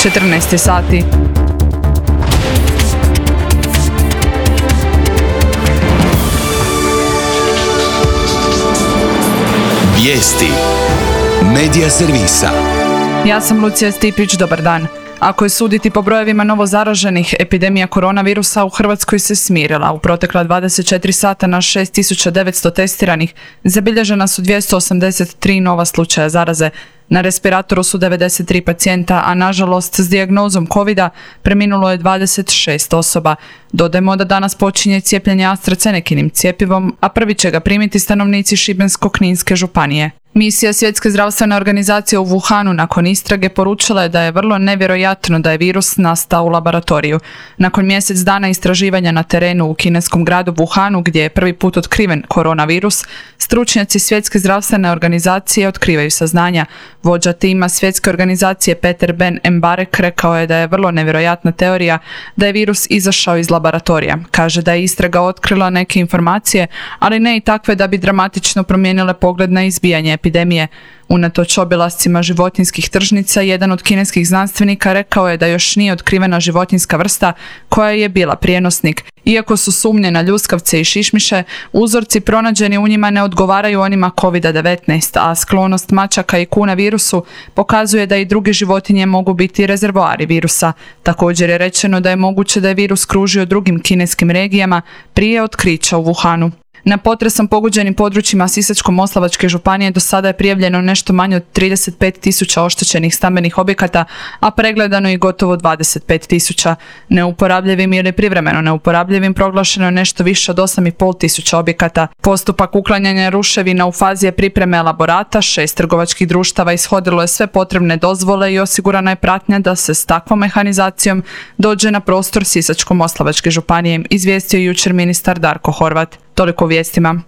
14 sati. Vijesti Medija servisa. Ja sam Lucija Stipić, dobar dan. Ako je suditi po brojevima novozaraženih, epidemija koronavirusa u Hrvatskoj se smirila. U protekla 24 sata na 6900 testiranih zabilježena su 283 nova slučaja zaraze. Na respiratoru su 93 pacijenta, a nažalost s dijagnozom covida preminulo je 26 osoba. Dodajmo da danas počinje cijepljenje AstraZenekinim cjepivom, a prvi će ga primiti stanovnici Šibensko-kninske županije. Misija Svjetske zdravstvene organizacije u Wuhanu nakon istrage poručila je da je vrlo nevjerojatno da je virus nastao u laboratoriju. Nakon mjesec dana istraživanja na terenu u kineskom gradu Wuhanu, gdje je prvi put otkriven koronavirus, stručnjaci Svjetske zdravstvene organizacije otkrivaju saznanja. Vođa tima Svjetske organizacije Peter Ben Embarek rekao je da je vrlo nevjerojatna teorija da je virus izašao iz laboratorija. Kaže da je istraga otkrila neke informacije, ali ne i takve da bi dramatično promijenile pogled na izbijanje epidemije. Unatoč obilascima životinjskih tržnica, jedan od kineskih znanstvenika rekao je da još nije otkrivena životinjska vrsta koja je bila prijenosnik. Iako su sumnje na ljuskavce i šišmiše, uzorci pronađeni u njima ne odgovaraju onima COVID-19, a sklonost mačaka i kuna virusu pokazuje da i druge životinje mogu biti rezervoari virusa. Također je rečeno da je moguće da je virus kružio drugim kineskim regijama prije otkrića u Wuhanu. Na potresom pogođenim područjima Sisačko-moslavačke županije do sada je prijavljeno nešto manje od 35.000 oštećenih stambenih objekata, a pregledano i gotovo 25.000. Neuporabljivim ili privremeno neuporabljivim proglašeno je nešto više od 8.500 objekata. Postupak uklanjanja ruševina u fazi je pripreme elaborata, 6 trgovačkih društava ishodilo je sve potrebne dozvole i osigurana je pratnja da se s takvom mehanizacijom dođe na prostor Sisačko-moslavačke županije, izvijestio jučer ministar Darko Horvat. Toliko o vijestima.